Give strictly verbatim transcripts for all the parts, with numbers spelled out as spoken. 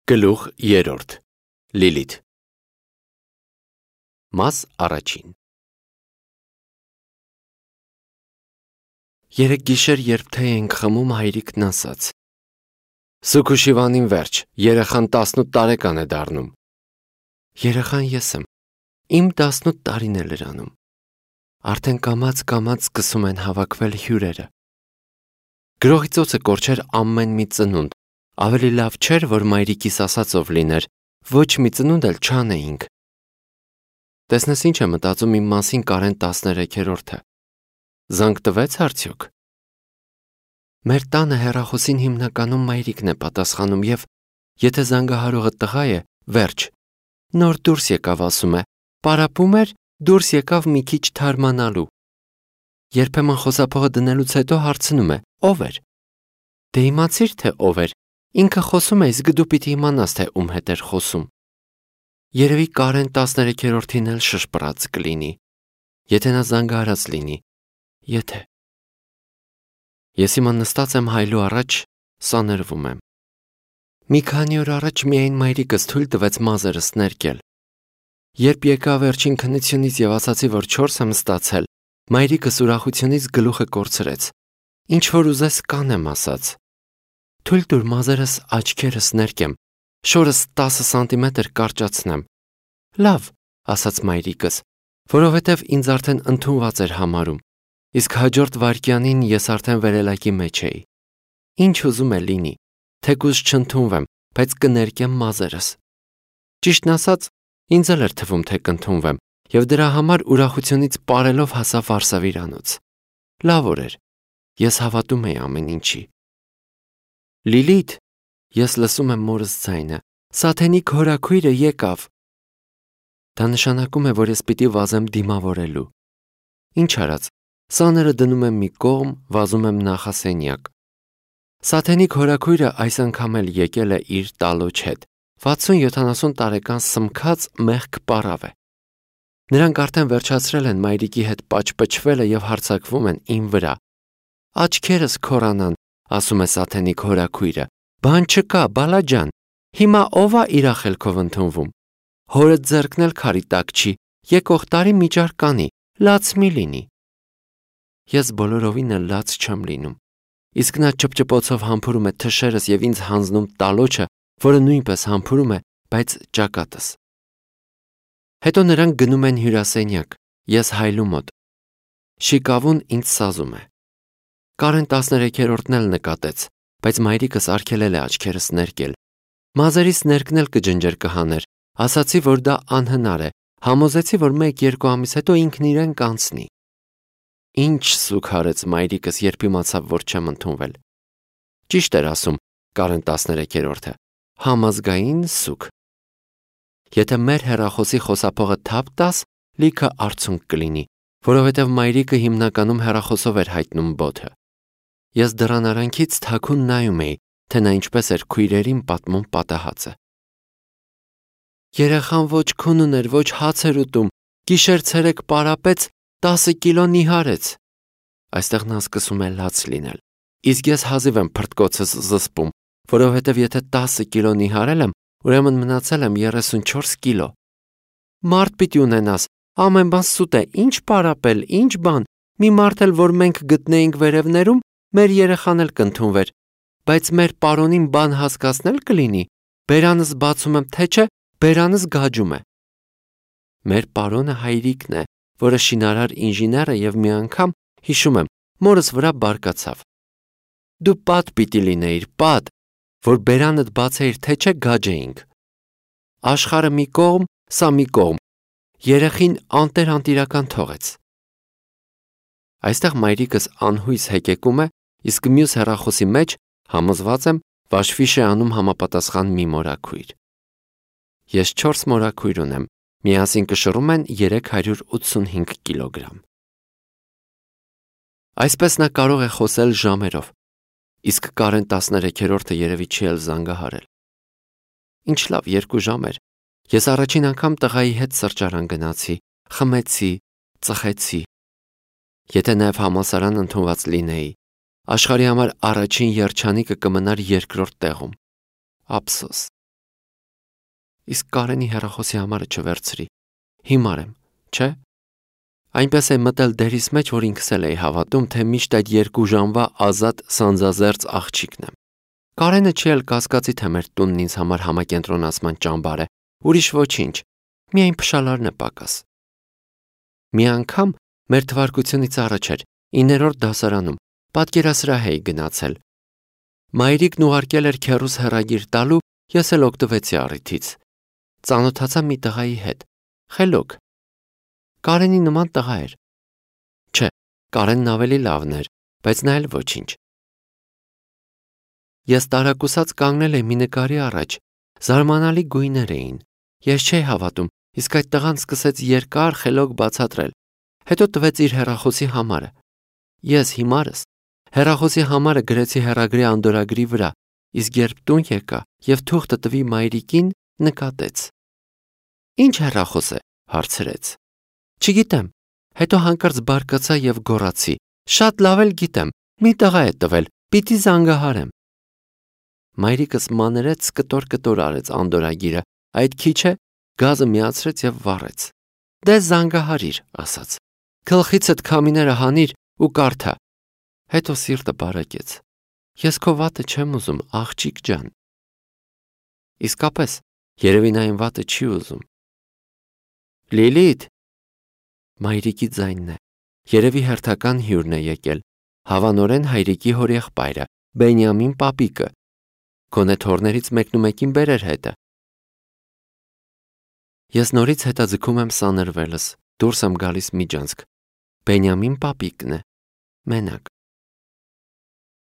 Գլուխ երրորդ Լիլիթ Մաս առաջին Երեկ գիշեր, երբ թե ենք խմում, հայրիկն ասաց. Սուքուշիվանին վերջ, երեխան տասնութ տարեկան է դառնում։ Երեխան ես եմ, իմ տասնութ տարին է լրանում։ Արդեն կամաց-կամաց սկսում են հավաքվել հյուրերը։ Գրողի ծոցը կորչեր ամեն մի ծնունդ, ավելի լավ չէր, որ մայրիկիս ասածով լիներ, ոչ մի ծնունդ էլ չանեինք։ Տեսնես ինչ է մտածում իմ մասին Կարեն տասներեքերորդը։ Զանգ տվեց արդյոք։ Մեր տանը հեռախոսին հիմնականում մայրիկն է պատասխանում և եթե զանգահարողը տղա է, վերջ։ Նոր դուրս եկավ ասում է, պարապում էր, դուրս եկավ մի քիչ թարմանալու։ Երբեմն խոսափողը դնելուց հետո հարցնում է, ով էր։ Դե իմացիր, թե ով էր, ինքը խոսում է, իսկ դու պիտի իմանաս, թե ում հետ էր խոսում։ Երևի Կարեն տասներեքերորդին էլ շշպռած կլինի, եթե նա զանգահարած լինի, եթե։ Ես հիմա նստած եմ հայլու առաջ, սաներվում եմ։ Մի քանի օր առաջ միայն մայրիկս թույլ տվեց մազերս ներկել։ Երբ եկա վերջին քննությունից և ասացի, որ չորս եմ ստացել, մայրիկս ուրախությունից գլուխը կորցրեց։ Ինչ որ ուզես կանեմ ասաց։ Թույլ տուր մազերս աչքերս ներկեմ, շորս տասը սանտիմետր կարճացնեմ։ Լավ, ասաց մայրիկս, որովհետև ինձ արդեն ընդունված էր համարում, իսկ հաջորդ վայրկյանին ես արդեն վերելակի մեջ էի։ Ինչ ուզում է լինի, թեկուզ չընդունվեմ, բայց կներկեմ մազերս։ Ճիշտն ասած, ինձ էլ էր թվում, թե կընդունվեմ, և դրա համար ուրախությունից պարելով հասա վարսավիրանոց։ Լավ օր էր, ես հավատում էի ամեն ինչի։ Լիլիթ, ես լսում եմ մորս ձայնը, Սաթենիկ հորաքույրը եկավ։ Դա նշանակում է, որ ես պիտի վազեմ դիմավորելու։ Ինչ արած, սաները դնում եմ մի կողմ, վազում եմ նախասենյակ։ Սաթենիկ հորաքույրը այս անգամ էլ եկել է իր տալոջ հետ, վաթսուն-յոթանասուն տարեկան սմքած մեղք պառավ է։ Նրանք արդեն վերջացրել են մայրիկի հետ պաճպճվելը և հարձակվում են իմ վրա։ Աչքերս քորանան, ասում է Սաթենիկ հորաքույրը, բան չկա, բալաջան, հիմա ով է իր ախելքով ընդունվում։ Հորդ ձեռքն էլ քարի տակ չի, եկող տարի միջար կանի, լաց մի լինի։ Ես բոլորովին էլ լաց չեմ լինում, իսկ նա ճպճպոցով համբուրում է թշերս և ինձ հանձնում տալոջը, որը նույնպես համբուրում է, բայց ճակատս։ Հետո նրանք գնում են հյուրասենյակ, ես հայլու մոտ։ Շիկավուն ինձ սազում է։ Կարեն տասներեքերորդն էլ նկատեց, բայց մայրիկս արգելել է աչքերս ներկել։ Մազերիս ներկն էլ կջնջեր կհաներ, ասացի, որ դա անհնար է, համոզեցի, որ մեկ-երկու ամիս հետո ինքն իրեն կանցնի։ Ինչ սուգ արեց մայրիկս, երբ իմացավ, որ չեմ ընդունվել։ Ճիշտ էր ասում Կարեն տասներեքերորդը, համազգային սուգ։ Եթե մեր հեռախոսի խոսափողը թափ տաս, լիքը արցունք կլինի, որովհետև մայրիկը հիմնականում հեռախոսով էր հայտնում բոթը։ Ես դռան արանքից թաքուն նայում էի, թե նա ինչպես էր քույրերին պատմում պատահածը։ Երեխան ոչ քուն ուներ, ոչ հաց էր ուտում, գիշեր-ցերեկ պարապեց, տասը կիլո նիհարեց։ Այստեղ նա սկսում է լաց լինել, իսկ ես հազիվ եմ փրտկոցս զսպում, որովհետև եթե տասը կիլո նիհարել եմ, ուրեմն մնացել եմ երեսունչորս կիլո։ Մարդ պիտի ունենաս, ամեն բան սուտ է, ինչ պարապել, ինչ բան, մի մարդ էլ, որ մենք գտնեինք վերևներում, մեր երեխան էլ կընդունվեր, բայց մեր պարոնին բան հասկացնել կլինի, բերանս բացում եմ, թե չէ, բերանս գաջում է։ Մեր պարոնը հայրիկն է, որը շինարար ինժեներ է և մի անգամ, հիշում եմ, մորս վրա բարկացավ։ Դու պատ պիտի լինեիր, պատ, որ բերանդ բացեիր, թե չէ գաջեինք։ Աշխարհը մի կողմ, սա մի կողմ, երեխին անտեր-անտիրական թողեց։ Այստեղ մայրիկս անհույս հեկեկում է, իսկ մյուս հեռախոսի մեջ, համոզված եմ, վաշվիշ է անում համապատասխան մի մորաքույր։ Ես չորս մորաքույր ունեմ, միասին կշռում են երեք հարյուր ութսունհինգ կիլոգրամ։ Այսպես նա կարող է խոսել ժամերով, իսկ Կարեն տասներեքերորդը երևի չի էլ զանգահարել։ Ինչ լավ երկու ժամ էր, ես առաջին անգամ տղայի հետ սրճարան գնացի, խմեցի, ծխեցի։ Եթե նաև համալսարան ընդունված լինեի, աշխարհի համար առաջին երջանիկը կմնար երկրորդ տեղում։ Ափսոս։ իսկ Կարենի հեռախոսի համարը չվերցրի։ Հիմար եմ, չէ՞։ Այնպես է մտել դերիս մեջ, որ ինքս էլ էի հավատում, թե միշտ այդ երկու ժամվա ազատ սանձազերծ աղջիկն եմ։ Կարենը չի էլ կասկածի, թե մեր տունն ինձ համար համակենտրոնացման ճամբար է, ուրիշ ոչինչ, միայն փշալարն է պակաս։ Մի անգամ մեր թվարկությունից առաջ էր, իններորդ դասարանում, պատկերասրահ էի գնացել։ Մայրիկն ուղարկել էր քեռուս հեռագիր տալու, ես էլ օգտվեցի առիթից։ Ծանոթացա մի տղայի հետ, խելոք։ Կարենի նման տղա էր։ Չէ, Կարենն ավելի լավն էր, բայց նա էլ ոչինչ։ Ես տարակուսած կանգնել էի մի նկարի առաջ, զարմանալի գույներ էին։ Ես չէի հավատում, իսկ այդ տղան սկսեց երկար խելոք բացատրել, հետո տվեց իր հեռախոսի համարը։ Ես հիմարս հեռախոսի համարը գրեցի հեռագրի անդորրագրի վրա, իսկ երբ տուն եկա և թուղթը տվի մայրիկին, նկատեց։ Ինչ հեռախոս է, հարցրեց։ Չգիտեմ, հետո հանկարծ բարկացա և գոռացի. Շատ լավ էլ գիտեմ, մի տղա է տվել, պիտի զանգահարեմ։ Մայրիկս մանրեց կտոր-կտոր արեց անդորրագիրը, այդ քիչ է, գազը միացրեց և վառեց։ Դե զանգահարիր, ասաց։ Գլխիցդ քամիները հանիր ու կարդա։ Հետո սիրտը բարակեց։ Ես քո վատը չեմ ուզում, աղջիկ ջան։ Իսկապես, երևի նա իմ վատը չի ուզում։ Լիլիթ, մայրիկի ձայնն է, երևի հերթական հյուրն է եկել, հավանորեն հայրիկի հորեղբայրը, Բենյամին պապիկը, գոնե թոռներից մեկնումեկին բերեր հետը։ Ես նորից հետաձգում եմ սանրվելս, դուրս եմ գալիս միջանցք։ Բենյամին պապիկն է, մենակ։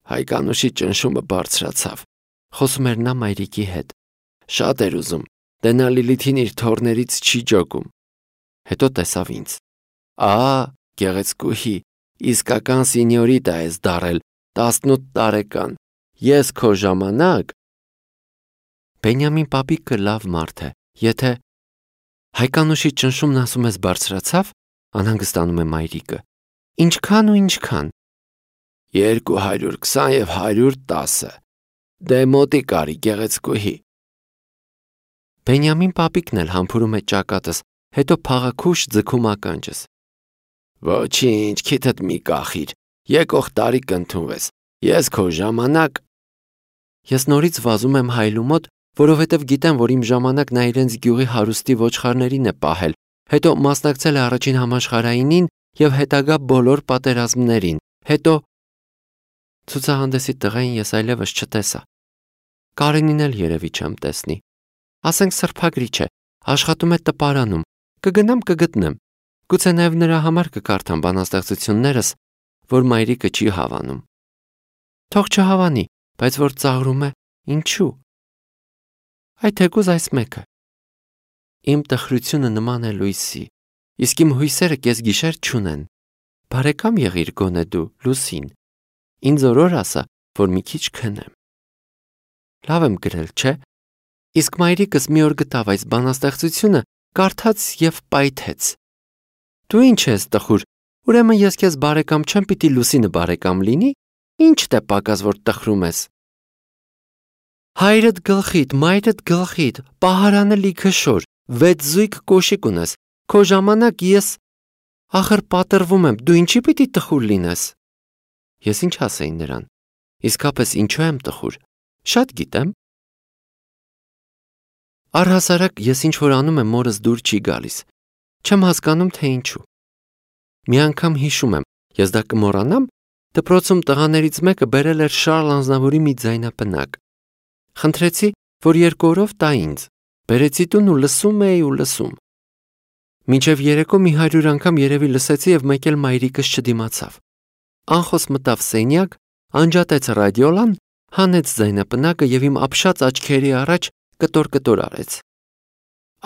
Հայկանուշի ճնշումը բարձրացավ, խոսում էր նա մայրիկի հետ։ Շատ էր ուզում, դե նա Լիլիթին իր թոռներից չի ջոկում։ Հետո տեսավ ինձ։ Ահա, գեղեցկուհի, իսկական սինյորիտա ես դառել, տասնութ տարեկան, ես քո ժամանակ։ Բենյամին պապիկը լավ մարդ է, եթե… Հայկանուշի ճնշումն ասում ես բարձրացավ, անհանգստանում է մայրիկը։ Ինչքան ու ինչքան։ Երկու հարյուր քսան և հարյուր տասը։ Դե մոտիկ արի, գեղեցկուհի։ Բենյամին պապիկն էլ համբուրում է ճակատս, հետո փաղաքուշ ձգում ականջս։ Ոչինչ, քիթդ մի կախիր, եկող տարի կընդունվես, ես քո ժամանակ… Ես նորից վազում եմ հայլու մոտ, որովհետև գիտեմ, որ իմ ժամանակ նա իրենց գյուղի հարուստի ոչխարներին է պահել, հետո մասնակցել է առաջին համաշխարհայինին և հետագա բոլոր պատերազմներին, հետո… Ցուցահանդեսի տղային ես այլևս չտեսա։ Կարենին էլ երևի չեմ տեսնի։ Ասենք սրբագրիչ է, աշխատում է տպարանում, կգնամ կգտնեմ, գուցե նաև նրա համար կկարդամ բանաստեղծություններս, որ մայրիկը չի հավանում։ Թող չհավանի, բայց որ ծաղրում է, ինչու։ Այ թեկուզ այս մեկը։ Իմ տխրությունը նման է լույսի, իսկ իմ հույսերը կեսգիշեր չունեն։ Բարեկամ եղիր գոնե դու, Լուսին, ինձ օրոր ասա, որ մի քիչ քնեմ։ Լավ եմ գրել, չէ՞։ Իսկ մայրիկս մի օր գտավ այս բանաստեղծությունը, կարդաց և պայթեց։ Դու ինչ ես տխուր, ուրեմն ես քեզ բարեկամ չեմ, պիտի Լուսինը բարեկամ լինի, ինչդ է պակաս, որ տխրում ես։ Հայրդ գլխիդ, մայրդ գլխիդ, պահարանը լիքը շոր, վեց զույգ կոշիկ ունես, քո ժամանակ ես… Ախր պատրվում եմ, դու ինչի պիտի տխուր լինես։ Ես ինչ ասեի նրան, իսկապես ինչու եմ տխուր, շատ գիտեմ։ Առհասարակ ես ինչ-որ անում եմ, մորս դուր չի գալիս, չեմ հասկանում, թե ինչու։ Մի անգամ հիշում եմ, ես դա կմոռանամ, դպրոցում տղաներից մեկը բերել էր Շարլ Անձնավուրի մի ձայնապնակ։ Խնդրեցի, որ երկու օրով տա ինձ, բերեցի տուն ու լսում էի ու լսում։ Մինչև երեկո մի հարյուր անգամ երևի լսեցի և մեկ էլ մայրիկս չդիմացավ։ Անխոս մտավ սենյակ, անջատեց ռադիոլան, հանեց ձայնապնակը և իմ ապշած աչքերի առաջ կտոր-կտոր արեց։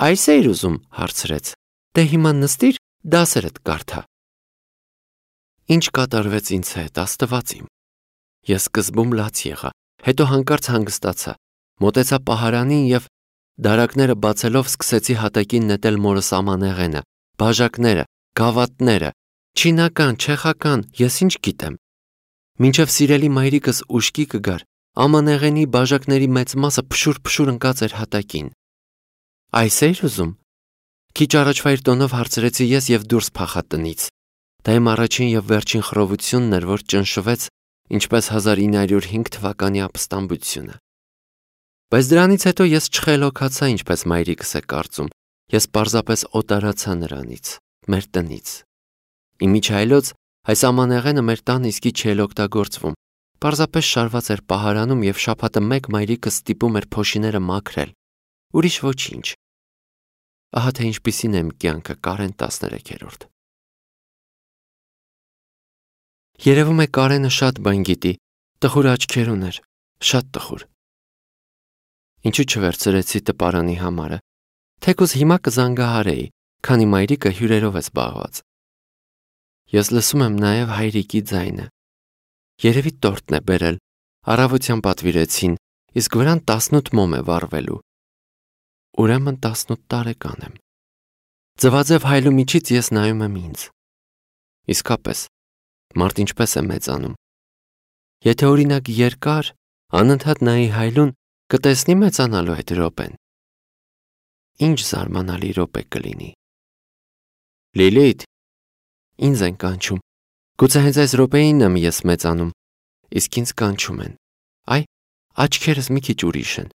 Այս էիր ուզում, հարցրեց։ Դե հիմա նստիր, դասերդ կարդա։ Ինչ կատարվեց ինձ հետ, Աստված իմ։ Ես սկզբում լաց եղա, հետո հանկարծ հանգստացա, մոտեցա պահարանին և դարակները բացելով սկսեցի հատակին նետել մորս ամանեղենը, բաժակները, գավաթները, չինական, չեխական, ես ինչ գիտեմ։ Մինչև սիրելի մայրիկս ուշքի կգար, ամանեղենի բաժակների մեծ մասը փշուր-փշուր ընկած էր հատակին։ Այս էիր ուզում։ Քիչ առաջվա իր տոնով հարցրեցի ես եւ դուրս փախա տնից։ Դա իմ առաջին եւ վերջին խռովությունն էր, որ ճնշվեց, ինչպես հազար ինը հարյուր հինգ թվականի ապստամբությունը։ Բայց դրանից հետո ես չխելոքացա, ինչպես մայրիկս է կարծում։ Ես պարզապես օտարացա նրանից, մեր տնից։ Իմիջայլոց այս ամանեղենը մեր տան իսկի չէր օգտագործվում։ Պարզապես շարված էր պահարանում եւ շաբաթը մեկ մայրիկս ստիպում էր փոշիները մաքրել։ Ուրիշ ոչինչ։ Ահա թե ինչպիսին է իմ կյանքը Կարեն տասներեքերորդ։ Երևում է Կարենը շատ բան գիտի, տխուր աչքեր ուներ, շատ տխուր։ Ինչու չվերցրեցի տպարանի համարը, թեկուզ հիմա կզանգահարեի, քանի մայրիկը հյուրերով է զբաղված։ Ես լսում եմ նաև հայրիկի ձայնը։ Երևի տորտն է բերել, առավոտյան պատվիրեցին, իսկ վրան տասնութ մոմ է վառվելու։ Ուրեմն տասնութ տարեկան եմ։ Ձվաձև հայլու միջից ես նայում եմ ինձ։ Իսկապես, մարդ ինչպես է մեծանում։ Եթե օրինակ երկար, անընդհատ նայի հայլուն, կտեսնի մեծանալու այդ րոպեն։ Ինչ զարմանալի րոպե կլինի։ Լիլիթ, ինձ են կանչում։ Գուցե հենց այս րոպեին եմ ես մեծանում, իսկ ինձ կանչում են։ Այ, աչքերս մի քիչ ուրիշ են,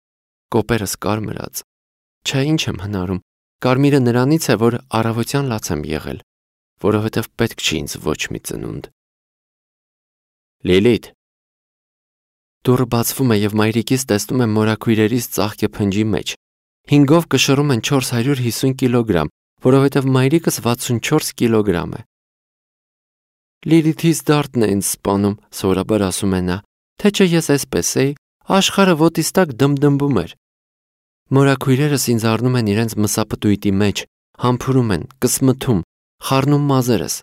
կոպերս կարմրած։ Չէ, ինչ եմ հնարում, կարմիրը նրանից է, որ առավոտյան լաց եմ եղել, որովհետև պետք չի ինձ ոչ մի ծնունդ։ Լիլիթ։ Դուռը բացվում է եւ մայրիկիս տեսնում եմ մորաքույրերից ծաղկե փնջի մեջ։ Հինգով կշռում են չորս հարյուր հիսուն կիլոգրամ, որովհետև մայրիկս վաթսունչորս կիլոգրամ է։ Լիլիթից դարդն է ինձ սպանում, սովորաբար ասում է նա, թե չէ ես այսպես էի, աշխարհը ոտիս տակ դմդմբում էր։ Մորաքույրերս ինձ առնում են իրենց մսապտույտի մեջ, համբուրում են, կսմթում, խառնում մազերս,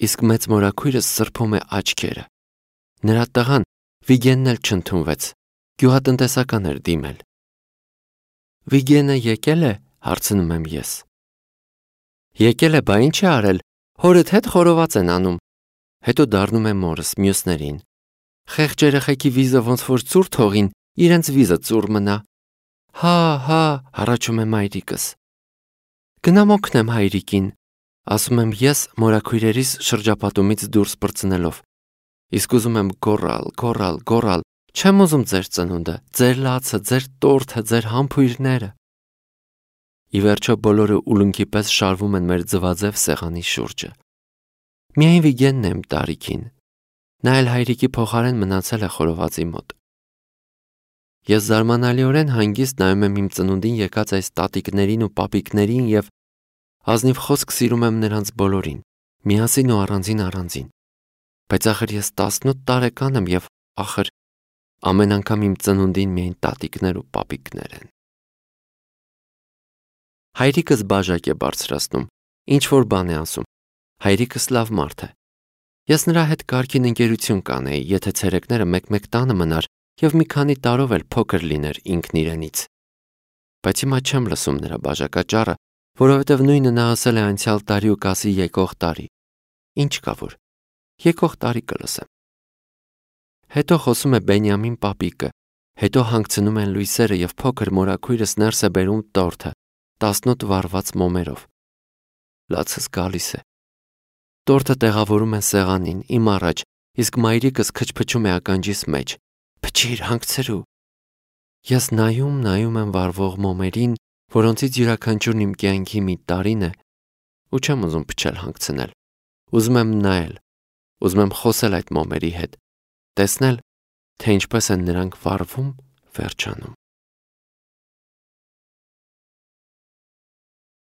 իսկ մեծ մորաքույրս սրբում է աչքերը։ Նրա տղան Վիգենն էլ չընդունվեց, գյուղատնտեսական էր դիմել։ Վիգենը եկել է, հարցնում եմ ես։ Եկել է, բա ինչ է արել, հորդ հետ խորոված են անում։ Հետո դառնում է մորս, մյուսներին։ Խեղճ երեխեքի վիզը ոնց որ ծուր թողին, իրենց վիզը ծուր մնա։ Հա, հա, հառաչում է մայրիկս։ Գնամ օգնեմ հայրիկին, ասում եմ ես մորաքույրերիս շրջապատումից դուրս պրծնելով։ Իսկ ուզում եմ գոռալ, գոռալ, գոռալ, չեմ ուզում ձեր ծնունդը, ձեր լացը, ձեր տորթը, ձեր համբույրները։ Ի վերջո բոլորը ուլունքի պես շարվում են մեր ձվաձև սեղանի շուրջը։ Միայն Վիգենն է իմ տարիքին։ Նա էլ հայրիկի փոխարեն մնացել է խորովածի մոտ։ Ես զարմանալիորեն հանգիստ նայում եմ իմ ծնունդին եկած այս տատիկներին ու պապիկներին եւ ազնիվ խոսք սիրում եմ նրանց բոլորին, միասին ու առանձին առանձին։ Բայց ախր ես տասնութ տարեկան եմ եւ ախր ամեն անգամ իմ ծնունդին միայն տատիկներ ու պապիկներ են։ Հայրիկս բաժակ է բարձրացնում, ինչ որ բան է ասում։ Հայրիկս լավ մարդ է։ Ես նրա հետ կարգին ընկերություն կանեի, եթե ցերեկները մեկ-մեկ տանը մնար եւ մի քանի տարով էլ փոքր լիներ ինքն իրենից։ Բայց հիմա չեմ լսում նրա բաժակաճառը, որովհետեւ նույնը նա ասել է անցյալ տարի ու կասի եկող տարի։ Ինչ կա որ։ Եկող տարի կլսեմ։ Հետո խոսում է Բենյամին պապիկը, հետո հանգցնում են լույսերը եւ փոքր մորաքույրս ներս է բերում տորթը, տասնութ վառված մոմերով։ Լացս գալիս է։ Տորթը տեղավորում են սեղանին, իմ առաջ, իսկ մայրիկս քչփչում է ականջիս մեջ։ Փչիր, հանգցրու։ Ես նայում, նայում եմ վառվող մոմերին, որոնցից յուրաքանչյուրն իմ կյանքի մի տարին է, ու չեմ ուզում փչել հանգցնել։ Ուզում եմ նայել, ուզում եմ խոսել այդ մոմերի հետ, տեսնել, թե ինչպես են նրանք վառվում, վերջանում։